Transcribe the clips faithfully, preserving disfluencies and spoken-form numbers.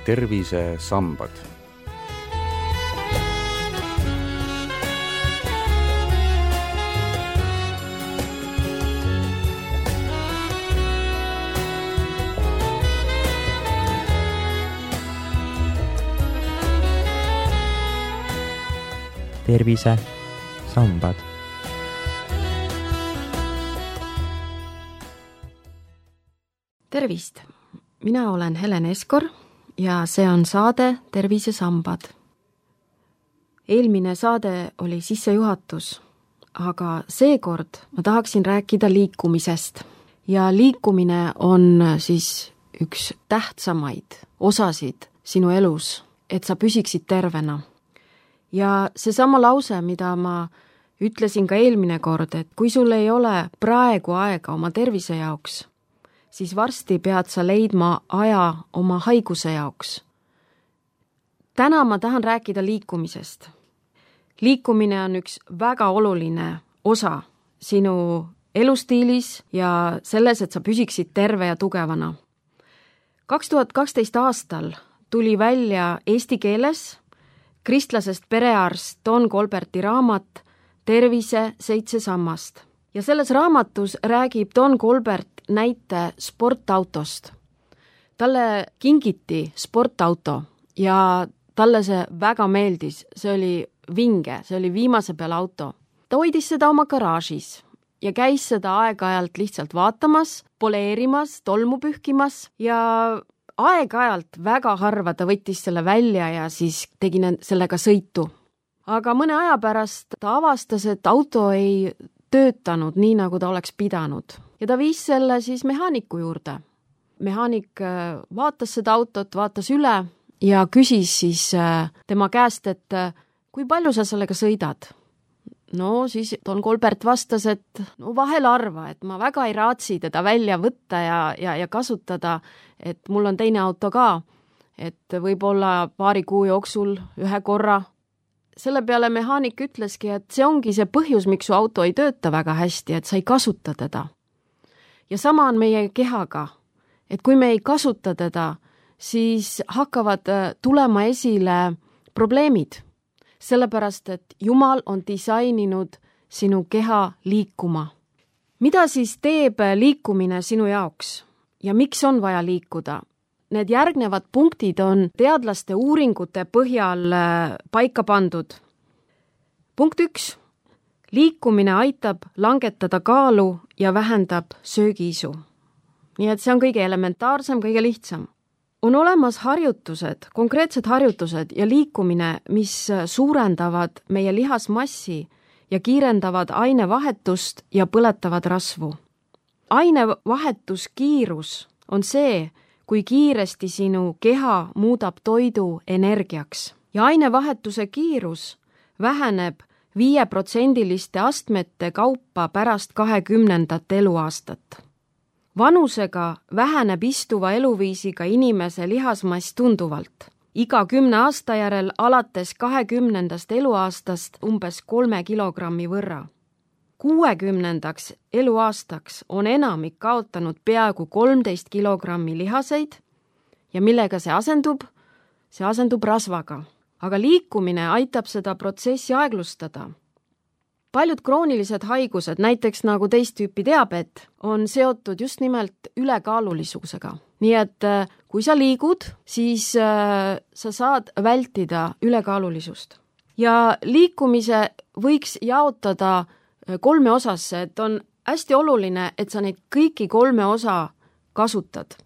tervisesambad. tervisesambad. Tervist! Mina olen Helen Eskor ja see on saade Tervisesambad. Eelmine saade oli sissejuhatus, aga seekord ma tahaksin rääkida liikumisest. Ja liikumine on siis üks tähtsamaid osasid sinu elus, et sa püsiksid tervena. Ja seesama lause, mida ma ütlesin ka eelmine kord, et kui sul ei ole praegu aega oma tervise jaoks, siis varsti pead sa leidma aja oma haiguse jaoks. Täna ma tahan rääkida liikumisest. Liikumine on üks väga oluline osa sinu elustiilis ja selles, et sa püsiksid terve ja tugevana. kaks tuhat kaksteist aastal tuli välja eesti keeles kristlasest perearst Don Colberti raamat Tervise seitse sammast. Ja selles raamatus räägib Don Colbert näite sportautost. Talle kingiti sportauto ja talle see väga meeldis. See oli vinge, see oli viimase peal auto. Ta hoidis seda oma garaažis ja käis seda aeg-ajalt lihtsalt vaatamas, poleerimas, tolmu pühkimas ja aeg-ajalt väga harva ta võttis selle välja ja siis tegi sellega sõitu. Aga mõne aja pärast ta avastas, et auto ei töötanud nii, nagu ta oleks pidanud. Ja ta viis selle siis mehaaniku juurde. Mehaanik vaatas seda autot, vaatas üle ja küsis siis tema käest, et kui palju sa sellega sõidad? No siis Don Colbert vastas, et no vahel arva, et ma väga ei raatsi teda välja võtta ja, ja, ja kasutada, et mul on teine auto ka, et võib-olla paari kuu jooksul ühe korra. Selle peale mehaanik ütleski, et see ongi see põhjus, miks su auto ei tööta väga hästi, et sa ei kasuta teda. Ja sama on meie kehaga, et kui me ei kasuta teda, siis hakkavad tulema esile probleemid. Sellepärast, et Jumal on disaininud sinu keha liikuma. Mida siis teeb liikumine sinu jaoks ja miks on vaja liikuda? Need järgnevad punktid on teadlaste uuringute põhjal paika pandud. Punkt üks. Liikumine aitab langetada kaalu ja vähendab söögiisu. Nii et see on kõige elementaarsem, kõige lihtsam. On olemas harjutused, konkreetsed harjutused ja liikumine, mis suurendavad meie lihasmassi ja kiirendavad ainevahetust ja põletavad rasvu. Ainevahetuskiirus on see, kui kiiresti sinu keha muudab toidu energiaks. Ja ainevahetuse kiirus väheneb viieprotsendiliste astmete kaupa pärast kahekümnendat eluaastat. Vanusega väheneb istuva eluviisiga inimese lihasmass tunduvalt. Iga kümne aasta järel alates kahekümnendast eluaastast umbes kolme kilogrammi võrra. kuuekümnendaks eluaastaks on enamik kaotanud peaaegu kolmteist kilogrammi lihaseid ja millega see asendub? See asendub rasvaga. Aga liikumine aitab seda protsessi aeglustada. Paljud kroonilised haigused, näiteks nagu teist tüüpi diabeet, on seotud just nimelt ülekaalulisusega. Nii et kui sa liigud, siis äh, sa saad vältida ülekaalulisust. Ja liikumise võiks jaotada kolme osasse, et on hästi oluline, et sa neid kõiki kolme osa kasutad.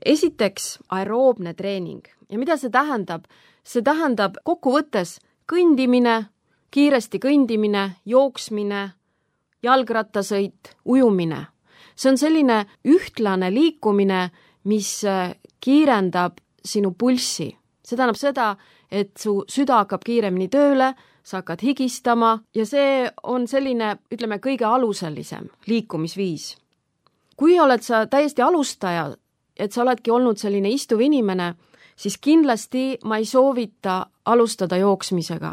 Esiteks aeroobne treening. Ja mida see tähendab? See tähendab kokkuvõttes kõndimine, kiiresti kõndimine, jooksmine, jalgrattasõit, ujumine. See on selline ühtlane liikumine, mis kiirendab sinu pulssi. See tähendab seda, et su süda hakkab kiiremini tööle, sa hakkad higistama ja see on selline, ütleme, kõige aluselisem liikumisviis. Kui oled sa täiesti alustaja, et sa oledki olnud selline istuv inimene, siis kindlasti ma ei soovita alustada jooksmisega.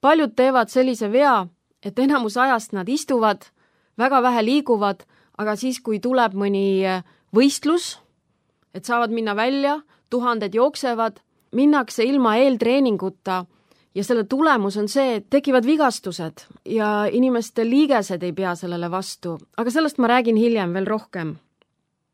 Paljud teevad sellise vea, et enamus ajast nad istuvad, väga vähe liiguvad, aga siis, kui tuleb mõni võistlus, et saavad minna välja, tuhanded jooksevad, minnakse ilma eeltreeninguta ja selle tulemus on see, et tekivad vigastused ja inimeste liigesed ei pea sellele vastu, aga sellest ma räägin hiljem veel rohkem.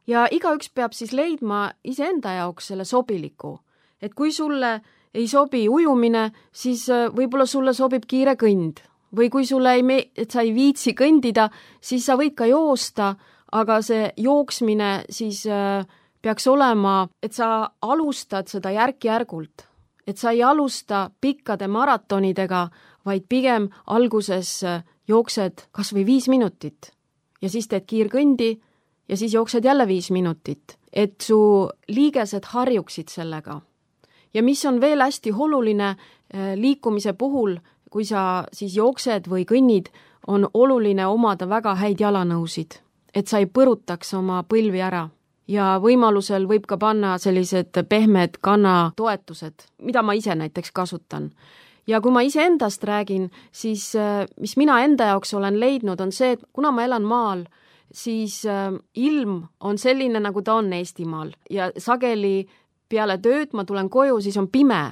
Ja igaüks peab siis leidma iseenda jaoks selle sobiliku, et kui sulle ei sobi ujumine, siis võib-olla sulle sobib kiire kõnd. Või kui sulle ei me-, et sa ei viitsi kõndida, siis sa võid ka joosta, aga see jooksmine siis äh, peaks olema, et sa alustad seda järk-järgult. Et sa ei alusta pikkade maratonidega, vaid pigem alguses jooksed kas või viis minutit. Ja siis teed kiirkõndi ja siis jooksed jälle viis minutit. Et su liigesed harjuksid sellega. Ja mis on veel hästi oluline äh, liikumise puhul, kui sa siis jooksed või kõnnid, on oluline omada väga häid jalanõusid, et sa ei põrutaks oma põlvi ära. Ja võimalusel võib ka panna sellised pehmed kannatoetused, mida ma ise näiteks kasutan. Ja kui ma ise endast räägin, siis mis mina enda jaoks olen leidnud, on see, et kuna ma elan maal, siis ilm on selline, nagu ta on Eestimaal. Ja sageli peale tööd ma tulen koju, siis on pime.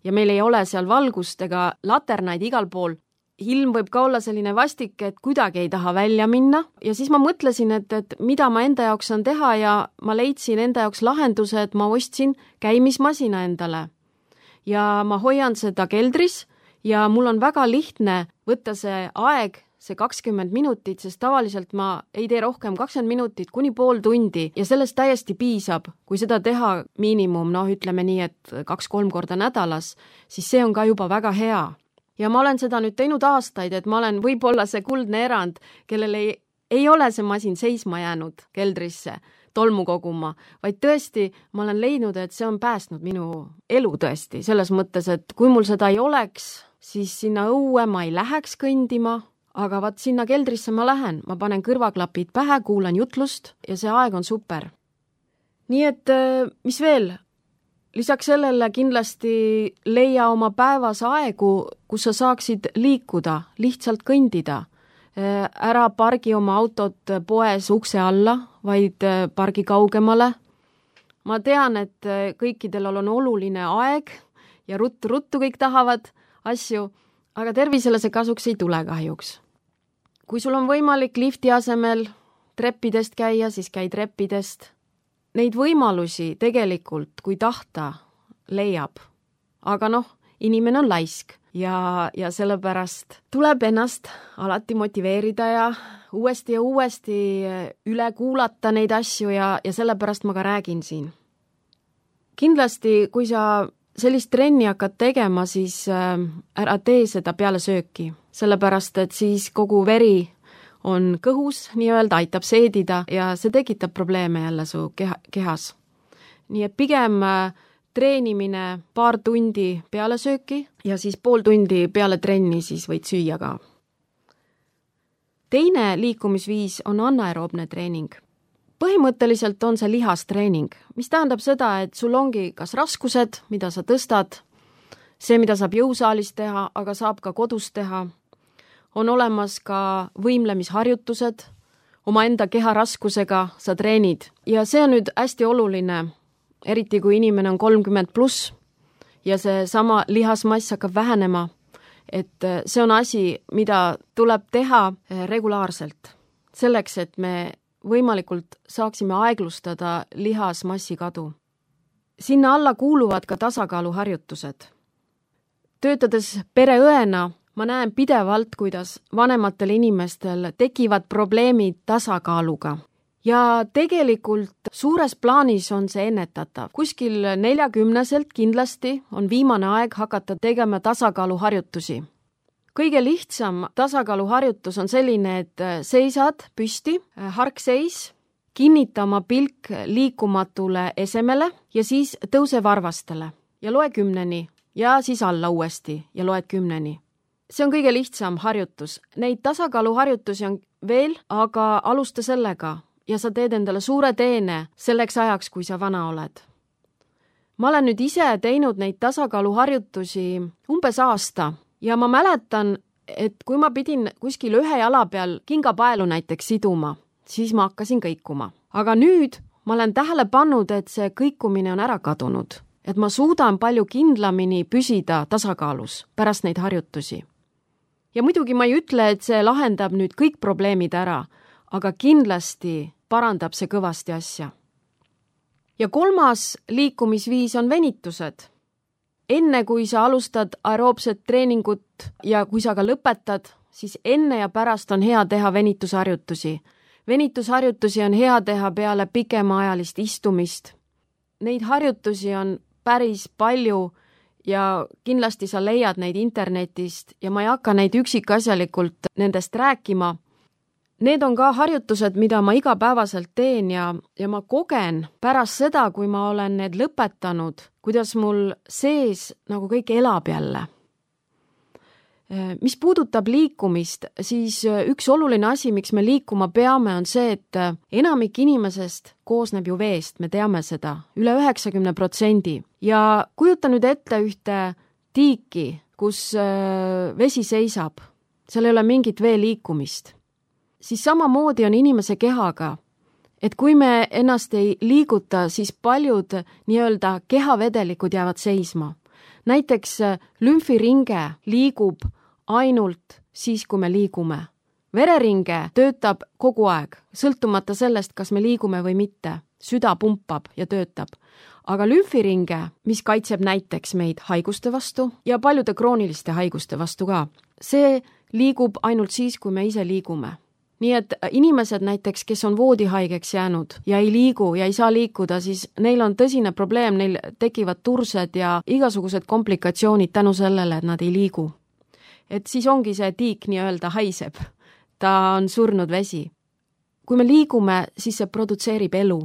Ja meil ei ole seal valgust ega laternaid igal pool. Ilm võib ka olla selline vastik, et kuidagi ei taha välja minna. Ja siis ma mõtlesin, et, et mida ma enda jaoks saan teha ja ma leidsin enda jaoks lahenduse, et ma ostsin käimismasina endale. Ja ma hoian seda keldris ja mul on väga lihtne võtta see aeg, see kakskümmend minutit, sest tavaliselt ma ei tee rohkem kakskümmend minutit kuni pool tundi ja sellest täiesti piisab, kui seda teha miinimum, noh ütleme nii, et kaks-kolm korda nädalas, siis see on ka juba väga hea. Ja ma olen seda nüüd teinud aastaid, et ma olen võib-olla see kuldne erand, kellel ei, ei ole see masin seisma jäänud keldrisse tolmu koguma, vaid tõesti ma olen leidnud, et see on päästnud minu elu tõesti, selles mõttes, et kui mul seda ei oleks, siis sinna õue ma ei läheks kõndima, aga vaat sinna keldrisse ma lähen, ma panen kõrvaklapid pähe, kuulan jutlust ja see aeg on super. Nii et mis veel? Lisaks sellele kindlasti leia oma päevas aegu, kus sa saaksid liikuda, lihtsalt kõndida. Ära pargi oma autot poes ukse alla, vaid pargi kaugemale. Ma tean, et kõikidel on oluline aeg ja ruttu-ruttu kõik tahavad asju, aga tervisele see kasuks ei tule kahjuks. Kui sul on võimalik lifti asemel treppidest käia, siis käi treppidest. Neid võimalusi tegelikult, kui tahta, leiab. Aga noh, inimene on laisk ja, ja sellepärast tuleb ennast alati motiveerida ja uuesti ja uuesti üle kuulata neid asju ja, ja sellepärast ma ka räägin siin. Kindlasti, kui sa sellist trenni hakkad tegema, siis ära tee seda peale sööki, sellepärast et siis kogu veri on kõhus, nii-öelda aitab seedida ja see tekitab probleeme jälle su keha, kehas. Nii et pigem treenimine paar tundi peale sööki ja siis pool tundi peale trenni siis võid süüa ka. Teine liikumisviis on anaeroobne treening. Põhimõtteliselt on see lihastreening, mis tähendab seda, et sul ongi kas raskused, mida sa tõstad, see, mida saab jõusaalis teha, aga saab ka kodus teha. On olemas ka võimlemisharjutused, oma enda keha raskusega sa treenid. Ja see on nüüd hästi oluline, eriti kui inimene on kolmkümmend pluss ja see sama lihasmass hakkab vähenema, et see on asi, mida tuleb teha regulaarselt, selleks, et me võimalikult saaksime aeglustada lihasmassi kadu. Sinna alla kuuluvad ka tasakaaluharjutused. Töötades pereõena ma näen pidevalt, kuidas vanematel inimestel tekivad probleemid tasakaaluga. Ja tegelikult suures plaanis on see ennetatav. Kuskil neljakümneselt kindlasti on viimane aeg hakata tegema tasakaaluharjutusi. Kõige lihtsam tasakaaluharjutus on selline, et seisad püsti, harkseis, kinnita oma pilk liikumatule esemele ja siis tõuse varvastele ja loe kümneni ja siis alla uuesti ja loed kümneni. See on kõige lihtsam harjutus. Neid tasakaaluharjutusi on veel, aga alusta sellega ja sa teed endale suure teene selleks ajaks, kui sa vana oled. Ma olen nüüd ise teinud neid tasakaaluharjutusi umbes aasta. Ja ma mäletan, et kui ma pidin kuskil ühe jala peal kingapaelu näiteks siduma, siis ma hakkasin kõikuma. Aga nüüd ma olen tähele pannud, et see kõikumine on ära kadunud, et ma suudan palju kindlamini püsida tasakaalus pärast neid harjutusi. Ja muidugi ma ei ütle, et see lahendab nüüd kõik probleemid ära, aga kindlasti parandab see kõvasti asja. Ja kolmas liikumisviis on venitused. Enne kui sa alustad aeroobset treeningut ja kui sa ka lõpetad, siis enne ja pärast on hea teha venitusharjutusi. Venitusharjutusi on hea teha peale pikemaajalist istumist. Neid harjutusi on päris palju ja kindlasti sa leiad neid internetist ja ma ei hakka neid üksikasjalikult nendest rääkima. Need on ka harjutused, mida ma igapäevaselt teen ja, ja ma kogen pärast seda, kui ma olen need lõpetanud, kuidas mul sees nagu kõik elab jälle. Mis puudutab liikumist, siis üks oluline asi, miks me liikuma peame, on see, et enamik inimesest koosneb ju veest, me teame seda, üle üheksakümne protsendi. Ja kujuta nüüd ette ühte tiiki, kus vesi seisab, seal ei ole mingit vee liikumist. Siis samamoodi on inimese kehaga, et kui me ennast ei liiguta, siis paljud nii-öelda kehavedelikud jäävad seisma. Näiteks lümfiringe liigub ainult siis, kui me liigume. Vereringe töötab kogu aeg, sõltumata sellest, kas me liigume või mitte. Süda pumpab ja töötab. Aga lümfiringe, mis kaitseb näiteks meid haiguste vastu ja paljude krooniliste haiguste vastu ka, see liigub ainult siis, kui me ise liigume. Nii et inimesed näiteks, kes on voodihaigeks jäänud ja ei liigu ja ei saa liikuda, siis neil on tõsine probleem, neil tekivad tursed ja igasugused komplikatsioonid tänu sellele, et nad ei liigu. Et siis ongi see tiik nii-öelda haiseb. Ta on surnud vesi. Kui me liigume, siis see produtseerib elu.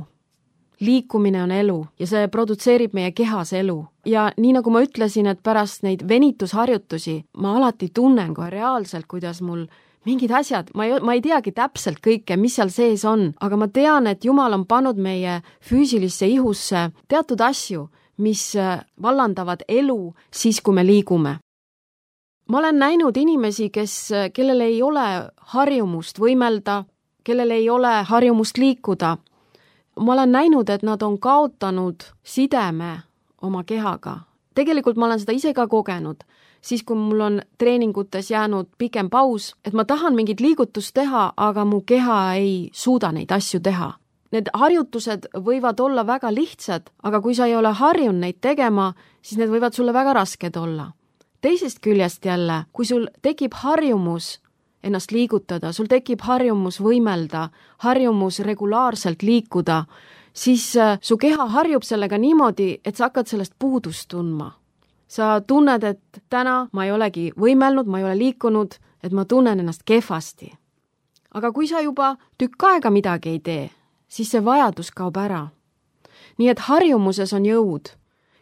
Liikumine on elu ja see produtseerib meie kehas elu. Ja nii nagu ma ütlesin, et pärast neid venitusharjutusi ma alati tunnen kohe reaalselt, kuidas mul mingid asjad, ma ei, ma ei teagi täpselt kõike, mis seal sees on, aga ma tean, et Jumal on pannud meie füüsilisse ihusse teatud asju, mis vallandavad elu siis, kui me liigume. Ma olen näinud inimesi, kes, kellel ei ole harjumust võimelda, kellel ei ole harjumust liikuda. Ma olen näinud, et nad on kaotanud sideme oma kehaga. Tegelikult ma olen seda ise ka kogenud. Siis, kui mul on treeningutes jäänud pikem paus, et ma tahan mingit liigutust teha, aga mu keha ei suuda neid asju teha. Need harjutused võivad olla väga lihtsad, aga kui sa ei ole harjunud neid tegema, siis need võivad sulle väga rasked olla. Teisest küljest jälle, kui sul tekib harjumus ennast liigutada, sul tekib harjumus võimelda, harjumus regulaarselt liikuda, siis su keha harjub sellega niimoodi, et sa hakkad sellest puudust tundma. Sa tunned, et täna ma ei olegi võimelnud, ma ei ole liikunud, et ma tunnen ennast kehvasti. Aga kui sa juba tükk aega midagi ei tee, siis see vajadus kaob ära. Nii et harjumuses on jõud.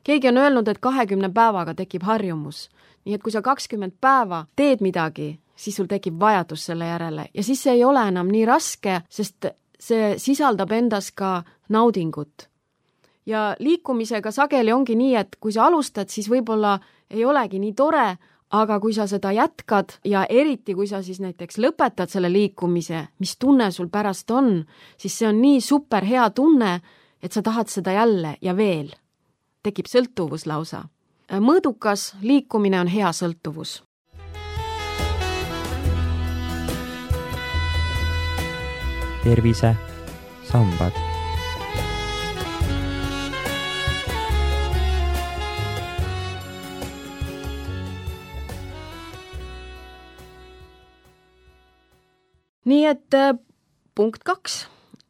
Keegi on öelnud, et kahekümne päevaga tekib harjumus. Nii et kui sa kakskümmend päeva teed midagi, siis sul tekib vajadus selle järele. Ja siis see ei ole enam nii raske, sest see sisaldab endas ka naudingut. Ja liikumisega sageli ongi nii, et kui sa alustad, siis võib-olla ei olegi nii tore, aga kui sa seda jätkad ja eriti kui sa siis näiteks lõpetad selle liikumise, mis tunne sul pärast on, siis see on nii super hea tunne, et sa tahad seda jälle ja veel. Tekib sõltuvus lausa. Mõõdukas liikumine on hea sõltuvus. Tervise sambad. Nii et punkt kaks.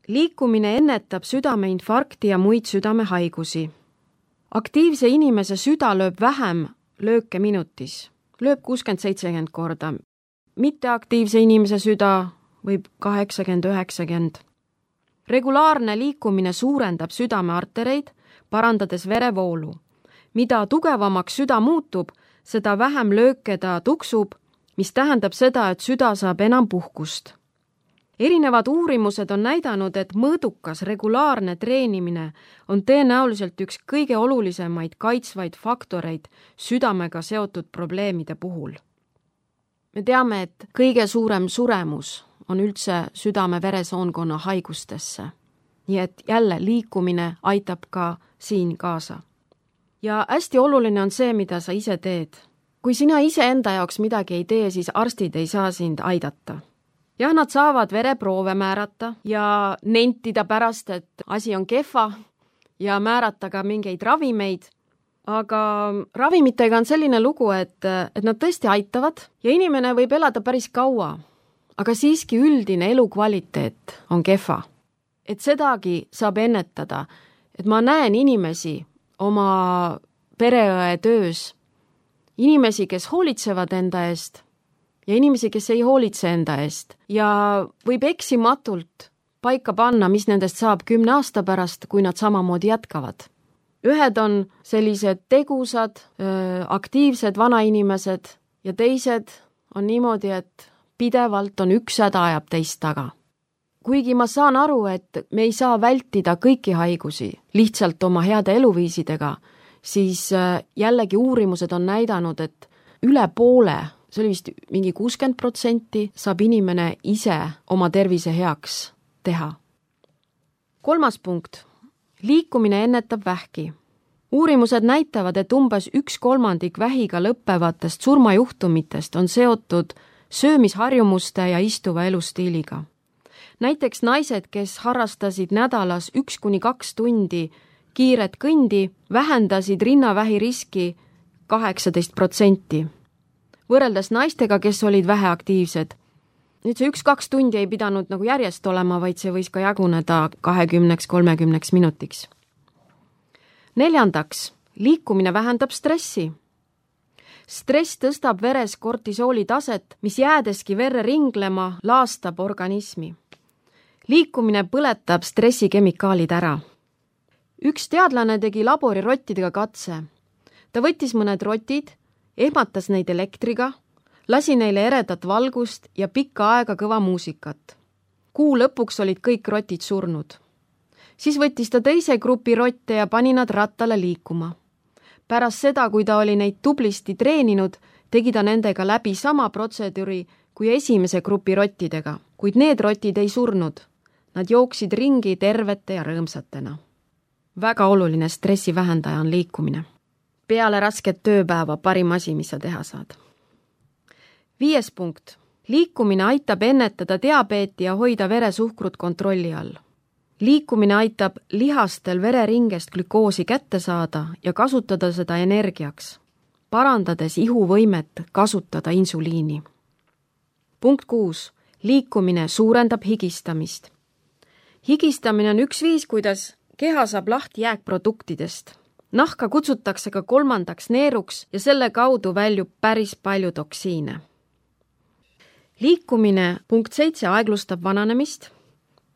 Liikumine ennetab südameinfarkti ja muid südamehaigusi. Aktiivse inimese süda lööb vähem lööke minutis. Lööb kuuskümmend seitsekümmend korda. Mitteaktiivse inimese süda võib kaheksakümmend üheksakümmend. Regulaarne liikumine suurendab südameartereid, parandades verevoolu. Mida tugevamaks süda muutub, seda vähem lööke ta tuksub, mis tähendab seda, et süda saab enam puhkust. Erinevad uurimused on näidanud, et mõõdukas regulaarne treenimine on tõenäoliselt üks kõige olulisemaid kaitsvaid faktoreid südamega seotud probleemide puhul. Me teame, et kõige suurem suremus on üldse südame-veresoonkonna haigustesse. nii et jälle liikumine aitab ka siin kaasa. Ja hästi oluline on see, mida sa ise teed. Kui sina ise enda jaoks midagi ei tee, siis arstid ei saa sind aidata. Jah, nad saavad vereproove määrata ja nentida pärast, et asi on kehva ja määrata ka mingeid ravimeid, aga ravimitega on selline lugu, et, et nad tõesti aitavad ja inimene võib elada päris kaua, aga siiski üldine elukvaliteet on kehva. Et sedagi saab ennetada, et ma näen inimesi oma pereõe töös, inimesi, kes hoolitsevad enda eest ja inimesi, kes ei hoolitse enda eest ja võib eksimatult paika panna, mis nendest saab kümne aasta pärast, kui nad samamoodi jätkavad. Ühed on sellised tegusad, aktiivsed vanainimesed ja teised on niimoodi, et pidevalt on üks häda ajab teist taga. Kuigi ma saan aru, et me ei saa vältida kõiki haigusi lihtsalt oma heade eluviisidega, siis jällegi uurimused on näidanud, et üle poole, see oli vist mingi kuuskümmend protsenti, saab inimene ise oma tervise heaks teha. Kolmas punkt. Liikumine ennetab vähki. Uurimused näitavad, et umbes üks kolmandik vähiga lõppevatest surmajuhtumitest on seotud söömisharjumuste ja istuva elustiiliga. Näiteks naised, kes harrastasid nädalas üks kuni kaks tundi kiiret kõndi, vähendasid rinnavähi riski kaheksateist protsenti. Võrreldes naistega, kes olid väheaktiivsed. Nüüd see üks-kaks tundi ei pidanud nagu järjest olema, vaid see võis ka jaguneda kahekümneks kolmekümneks minutiks. Neljandaks, liikumine vähendab stressi. Stress tõstab veres kortisooli taset, mis jäädeski verre ringlema, laastab organismi. Liikumine põletab stressikemikaalid ära. Üks teadlane tegi laborirottidega katse. Ta võttis mõned rotid, ehmatas neid elektriga, lasi neile eredat valgust ja pikka aega kõva muusikat. Kuu lõpuks olid kõik rotid surnud. Siis võttis ta teise grupi rotte ja pani nad rattale liikuma. Pärast seda, kui ta oli neid tublisti treeninud, tegi ta nendega läbi sama protseduuri kui esimese grupi rottidega, kuid need rotid ei surnud. Nad jooksid ringi tervete ja rõõmsatena. Väga oluline stressi vähendaja on liikumine. Peale rasket tööpäeva parim asi, mis sa teha saad. Viies punkt. Liikumine aitab ennetada diabeeti ja hoida veresuhkrut kontrolli all. Liikumine aitab lihastel vereringest glükoosi kätte saada ja kasutada seda energiaks, parandades ihuvõimet kasutada insuliini. Punkt kuus. Liikumine suurendab higistamist. Higistamine on üks viis, kuidas keha saab lahti jääkproduktidest. Nahka kutsutakse ka kolmandaks neeruks ja selle kaudu väljub päris palju toksiine. Liikumine punkt seitse aeglustab vananemist,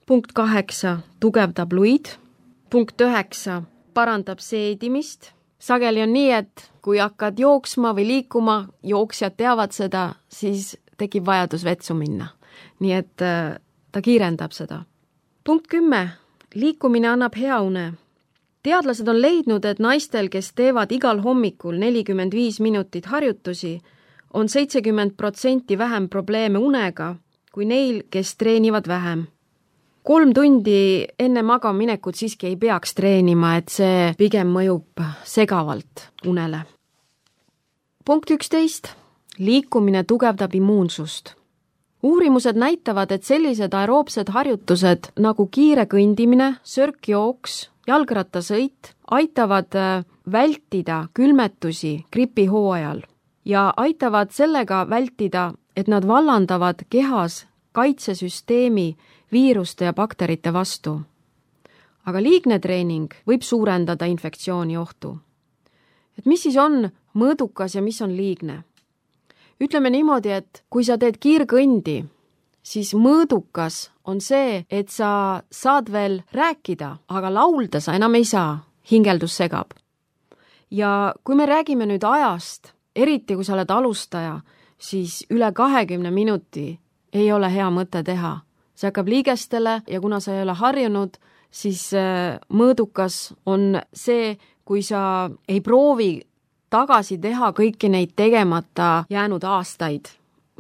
punkt kaheksa tugevdab luid, punkt üheksa parandab seedimist. Sageli on nii, et kui hakkad jooksma või liikuma, jooksjad teavad seda, siis tekib vajadus vetsu minna. Nii et ta kiirendab seda. Punkt kümme. Liikumine annab hea une. Teadlased on leidnud, et naistel, kes teevad igal hommikul nelikümmend viis minutit harjutusi, on seitsekümmend protsenti vähem probleeme unega kui neil, kes treenivad vähem. Kolm tundi enne magaminekut siiski ei peaks treenima, et see pigem mõjub segavalt unele. Punkt üksteist. Liikumine tugevdab immuunsust. Uurimused näitavad, et sellised aeroobsed harjutused nagu kiire kõndimine, sörkjooks, jalgrattasõit aitavad vältida külmetusi gripihooajal ja aitavad sellega vältida, et nad vallandavad kehas kaitsesüsteemi viiruste ja bakterite vastu. Aga liigne treening võib suurendada infektsiooni ohtu. Et mis siis on mõõdukas ja mis on liigne? Ütleme niimoodi, et kui sa teed kiirkõndi, siis mõõdukas on see, et sa saad veel rääkida, aga laulda sa enam ei saa, hingeldus segab. Ja kui me räägime nüüd ajast, eriti kui sa oled alustaja, siis üle kahekümne minuti ei ole hea mõte teha. See hakkab liigestele ja kuna sa ei ole harjunud, siis mõõdukas on see, kui sa ei proovi tagasi teha kõiki neid tegemata jäänud aastaid,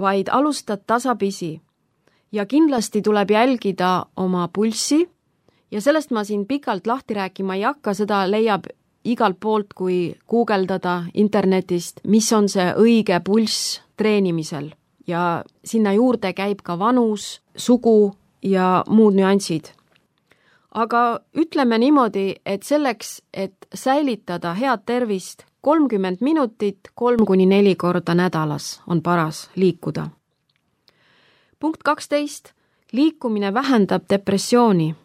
vaid alustad tasapisi. Ja kindlasti tuleb jälgida oma pulssi ja sellest ma siin pikalt lahti rääkima ei hakka, seda leiab igalt poolt, kui guugeldada internetist, mis on see õige pulss treenimisel ja sinna juurde käib ka vanus, sugu ja muud nüansid. Aga ütleme niimoodi, et selleks, et säilitada head tervist, kolmkümmend minutit, kolm kuni neli korda nädalas on paras liikuda. Punkt kaksteist. Liikumine vähendab depressiooni.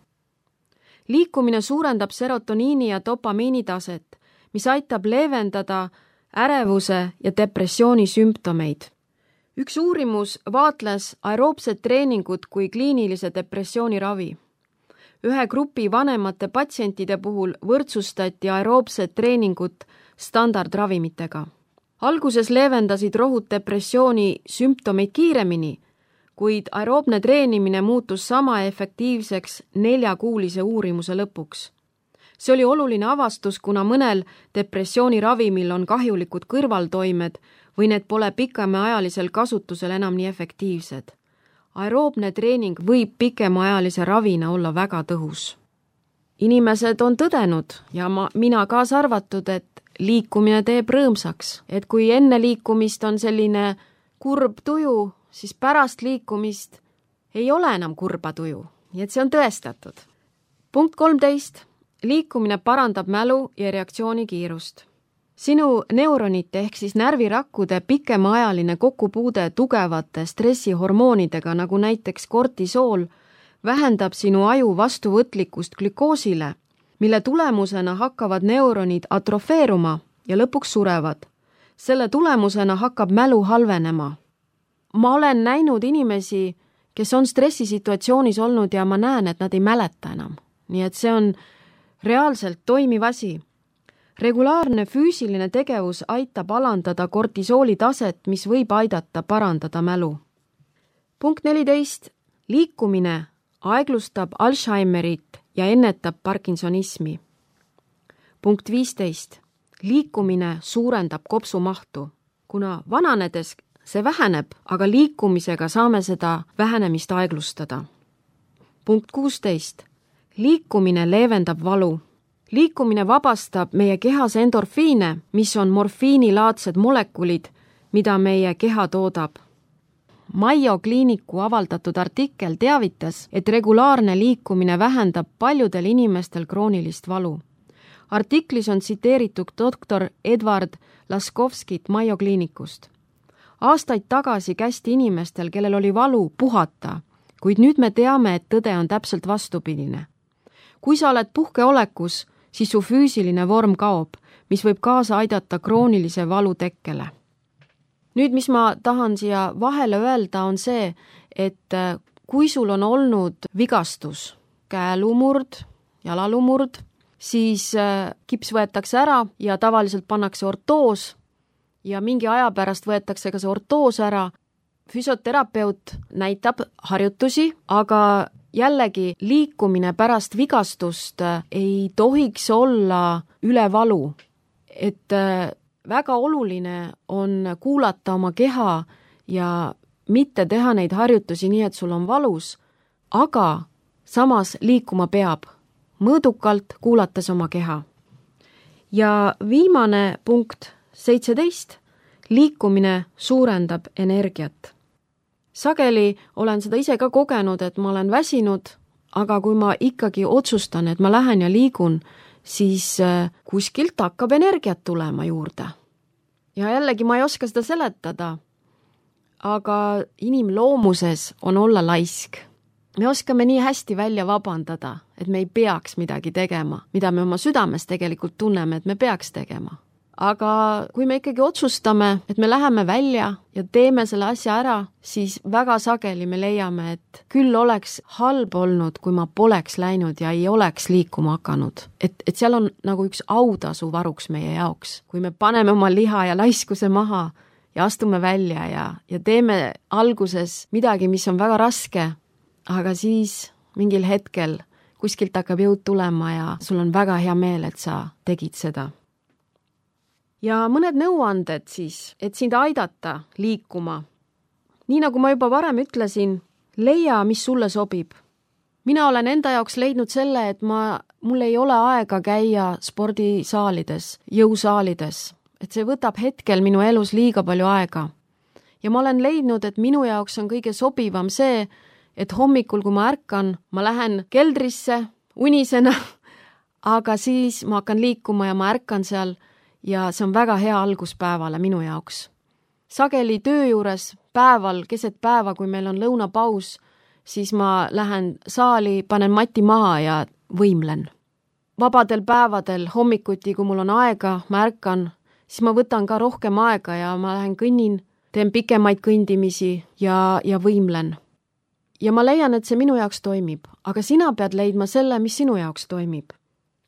Liikumine suurendab serotoniini ja dopamiini taset, mis aitab leevendada ärevuse ja depressiooni sümptomeid. Üks uurimus vaatles aeroobsed treeningud kui kliinilise depressiooni ravi. Ühe grupi vanemate patsientide puhul võrdsustati aeroobsed treeningut standardravimitega. Alguses leevendasid rohud depressiooni sümptomeid kiiremini, kuid aeroobne treenimine muutus sama efektiivseks neljakuulise uurimuse lõpuks. See oli oluline avastus, kuna mõnel depressiooni ravimil on kahjulikud kõrvaltoimed või need pole pikemaajalisel kasutusel enam nii efektiivsed. Aeroobne treening võib pikemaajalise ravina olla väga tõhus. Inimesed on tõdenud ja ma, mina kaasa arvatud, et liikumine teeb rõõmsaks, et kui enne liikumist on selline kurb tuju, siis pärast liikumist ei ole enam kurba tuju, nii et see on tõestatud. Punkt kolmteist. Liikumine parandab mälu ja reaktsiooni kiirust. Sinu neuronite ehk siis närvirakkude pikemaajaline kokkupuude tugevate stressihormoonidega, nagu näiteks kortisool, vähendab sinu aju vastuvõtlikkust glükoosile, mille tulemusena hakkavad neuronid atrofeeruma ja lõpuks surevad. Selle tulemusena hakkab mälu halvenema. Ma olen näinud inimesi, kes on stressisituatsioonis olnud ja ma näen, et nad ei mäleta enam. Nii et see on reaalselt toimiv asi. Regulaarne füüsiline tegevus aitab alandada kortisooli taset, mis võib aidata parandada mälu. Punkt neliteist. Liikumine aeglustab Alzheimerit ja ennetab Parkinsonismi. Punkt viisteist. Liikumine suurendab kopsumahtu, kuna vananedes see väheneb, aga liikumisega saame seda vähenemist aeglustada. Punkt kuusteist. Liikumine leevendab valu. Liikumine vabastab meie kehas endorfiine, mis on morfiinilaadsed molekulid, mida meie keha toodab. Mayo kliiniku avaldatud artikkel teavitas, et regulaarne liikumine vähendab paljudel inimestel kroonilist valu. Artiklis on tsiteeritud doktor Edward Laskovskit Mayo kliinikust. Aastaid tagasi kästi inimestel, kellel oli valu, puhata, kuid nüüd me teame, et tõde on täpselt vastupidine. Kui sa oled puhkeolekus, siis su füüsiline vorm kaob, mis võib kaasa aidata kroonilise valu tekkele. Nüüd, mis ma tahan siia vahele öelda, on see, et kui sul on olnud vigastus, käelumurd, jalalumurd, siis kips võetakse ära ja tavaliselt pannakse ortoos ja mingi aja pärast võetakse ka see ortoos ära. Füsioterapeut näitab harjutusi, aga jällegi liikumine pärast vigastust ei tohiks olla üle valu. Et väga oluline on kuulata oma keha ja mitte teha neid harjutusi nii, et sul on valus, aga samas liikuma peab, mõõdukalt kuulates oma keha. Ja viimane punkt, seitseteist, liikumine suurendab energiat. Sageli olen seda ise ka kogenud, et ma olen väsinud, aga kui ma ikkagi otsustan, et ma lähen ja liigun, siis kuskilt hakkab energiat tulema juurde. Ja jällegi ma ei oska seda seletada, aga inimloomuses on olla laisk. Me oskame nii hästi välja vabandada, et me ei peaks midagi tegema, mida me oma südames tegelikult tunneme, et me peaks tegema. Aga kui me ikkagi otsustame, et me läheme välja ja teeme selle asja ära, siis väga sageli me leiame, et küll oleks halb olnud, kui ma poleks läinud ja ei oleks liikuma hakanud. Et, et seal on nagu üks autasu varuks meie jaoks. Kui me paneme oma liha ja laiskuse maha ja astume välja ja, ja teeme alguses midagi, mis on väga raske, aga siis mingil hetkel kuskilt hakkab jõud tulema ja sul on väga hea meel, et sa tegid seda. Ja mõned nõuanded siis, et sind aidata liikuma. Nii nagu ma juba varem ütlesin, leia, mis sulle sobib. mina olen enda jaoks leidnud selle, et ma, mul ei ole aega käia spordisaalides, jõusaalides, et see võtab hetkel minu elus liiga palju aega. Ja ma olen leidnud, et minu jaoks on kõige sobivam see, et hommikul, kui ma ärkan, ma lähen keldrisse unisena, aga siis ma hakkan liikuma ja ma ärkan seal ja see on väga hea algus päevale minu jaoks. Sageli töö juures päeval, keset päeva, kui meil on lõunapaus, siis ma lähen saali, panen mati maha ja võimlen. Vabadel päevadel hommikuti, kui mul on aega, ma ärkan, siis ma võtan ka rohkem aega ja ma lähen kõnnin, teen pikemaid kõndimisi ja, ja võimlen. Ja ma leian, et see minu jaoks toimib, aga sina pead leidma selle, mis sinu jaoks toimib.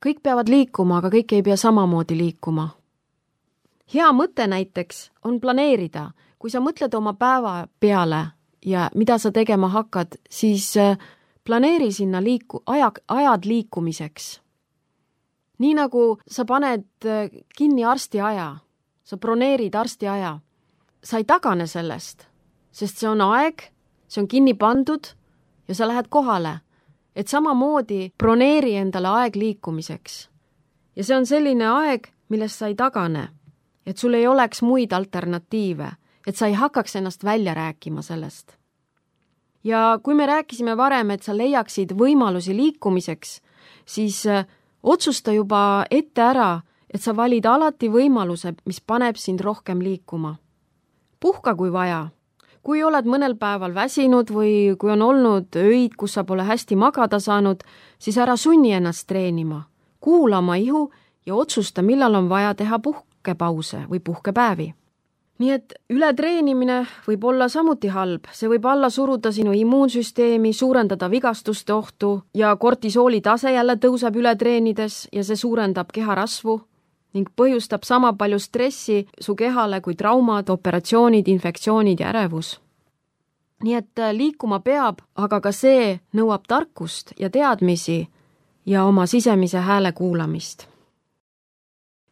Kõik peavad liikuma, aga kõik ei pea samamoodi liikuma. Hea mõte näiteks on planeerida. Kui sa mõtled oma päeva peale ja mida sa tegema hakkad, siis planeeri sinna liiku, aja, ajad liikumiseks. Nii nagu sa paned kinni arsti aja, sa broneerid arsti aja, sa ei tagane sellest, sest see on aeg, see on kinni pandud ja sa lähed kohale, et samamoodi broneeri endale aeg liikumiseks. Ja see on selline aeg, millest sa ei tagane, et sul ei oleks muid alternatiive, et sa ei hakkaks ennast välja rääkima sellest. Ja kui me rääkisime varem, et sa leiaksid võimalusi liikumiseks, siis otsusta juba ette ära, et sa valid alati võimaluse, mis paneb sind rohkem liikuma. Puhka kui vaja. Kui oled mõnel päeval väsinud või kui on olnud öid, kus sa pole hästi magada saanud, siis ära sunni ennast treenima. Kuula oma ihu ja otsusta, millal on vaja teha puhkepause või puhkepäevi. Nii et ületreenimine võib olla samuti halb. See võib alla suruda sinu immuunsüsteemi, suurendada vigastuste ohtu ja kortisooli tase jälle tõuseb ületreenides ja see suurendab keharasvu ning põhjustab sama palju stressi su kehale kui traumad, operatsioonid, infektsioonid ja ärevus. Nii et liikuma peab, aga ka see nõuab tarkust ja teadmisi ja oma sisemise hääle kuulamist.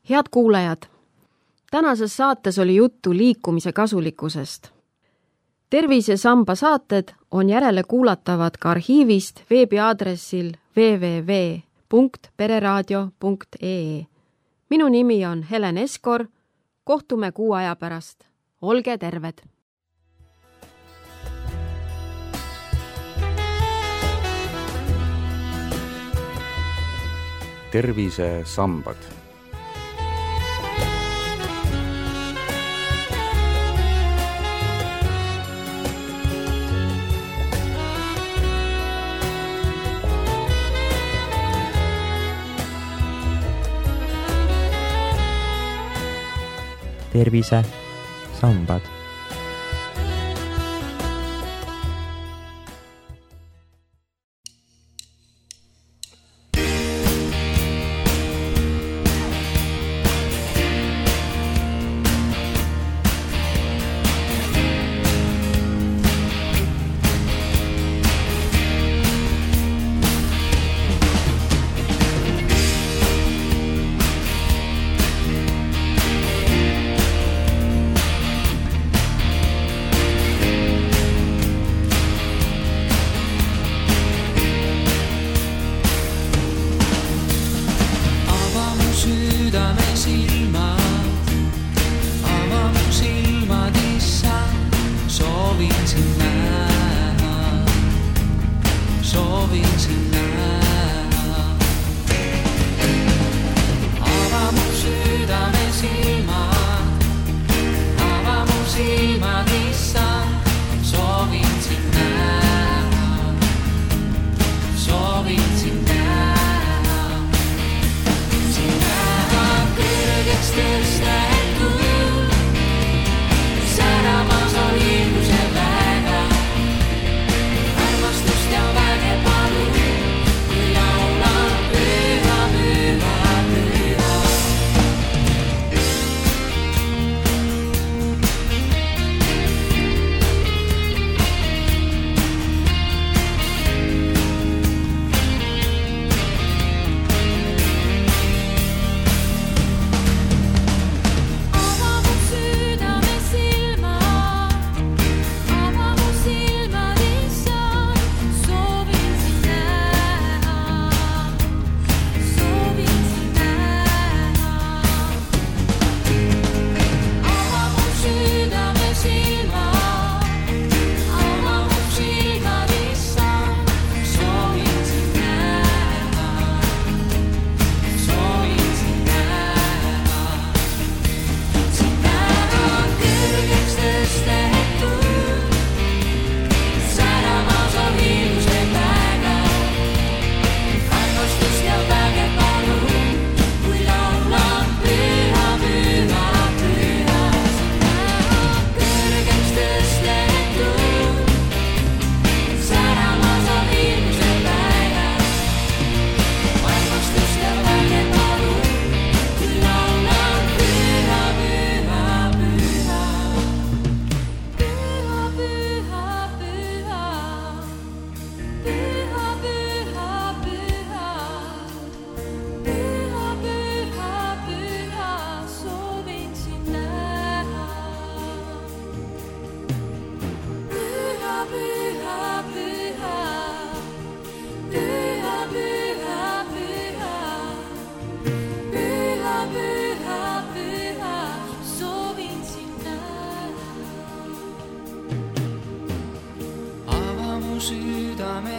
Head kuulajad, tänases saates oli juttu liikumise kasulikkusest. Tervisesamba saated on järele kuulatavad ka arhiivist veebiaadressil w w w punkt pereraadio punkt e e. Minu nimi on Helen Eskor, kohtume kuu aja pärast. Olge terved! Tervisesambad. Tervisesambad. Armastust ja väge palun.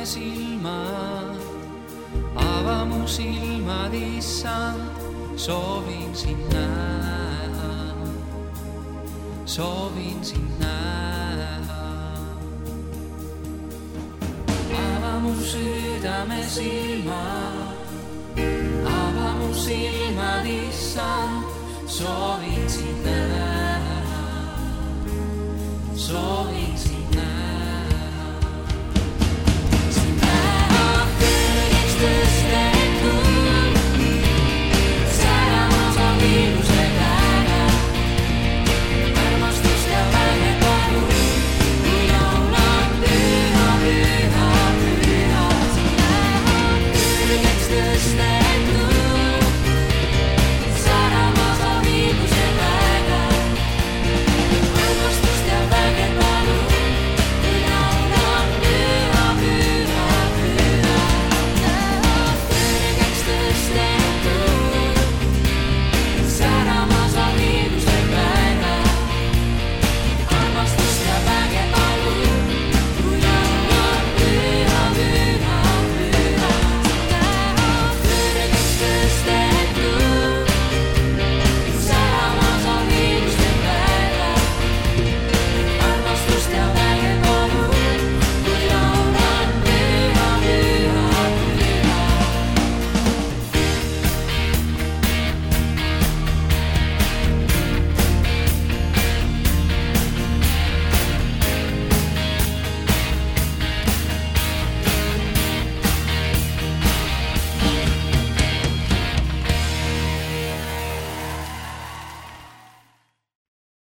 südamesilmad, ava mu silmad, issand, soovin sind näha, soovin sind näha. Ava mu südamesilmad, ava mu silmad, issand, soovin sind näha, soovin